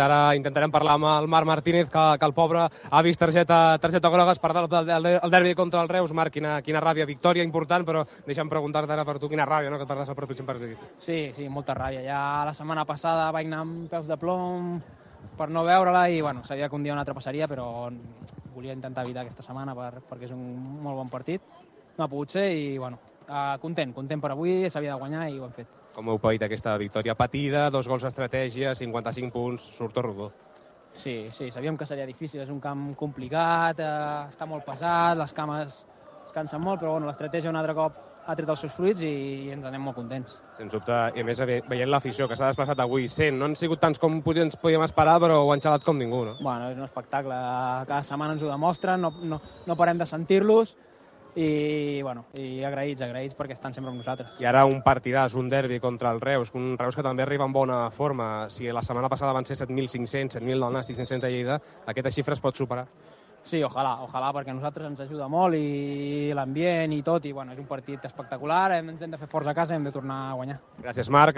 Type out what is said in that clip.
Ara intentarem parlar amb el Marc Martínez, que el pobre ha vist targeta groga, es perdrà el derbi contra el Reus. Marc, quina ràbia, victòria important, però deixa'm preguntar-te ara per tu, quina ràbia, no?, que et perdàs el pròxim partit. Sí, molta ràbia. Ja la setmana passada vaig anar amb peus de plom per no veure-la i bueno, sabia que un dia o un altre passaria, però volia intentar evitar aquesta setmana perquè és un molt bon partit. No ha pogut ser i bueno, content per avui, s'havia de guanyar i ho hem fet. Com heu paït aquesta victòria? Patida, 2 gols d'estratègia, 55 punts, surt tot rodó. Sí, sabíem que seria difícil, és un camp complicat, està molt pesat, les cames es cansen molt, però bueno, l'estratègia un altre cop ha tret els seus fruits i ens anem molt contents. Sens dubte, i a més veient l'afició que s'ha desplaçat avui, no han sigut tants com ens podíem esperar, però ho han xalat com ningú, no? Bueno, és un espectacle, cada setmana ens ho demostren, no parem de sentir-los, i agraïts perquè estan sempre amb nosaltres. I ara un partidàs, un derbi contra el Reus, un Reus que també arriba en bona forma. Si la setmana passada van ser 7.500, 7.000 del Nàstic, 500 a Lleida, aquesta xifra es pot superar? Sí, ojalà, perquè a nosaltres ens ajuda molt i l'ambient i tot, i bueno, és un partit espectacular, ens hem de fer forts a casa i hem de tornar a guanyar. Gràcies, Marc.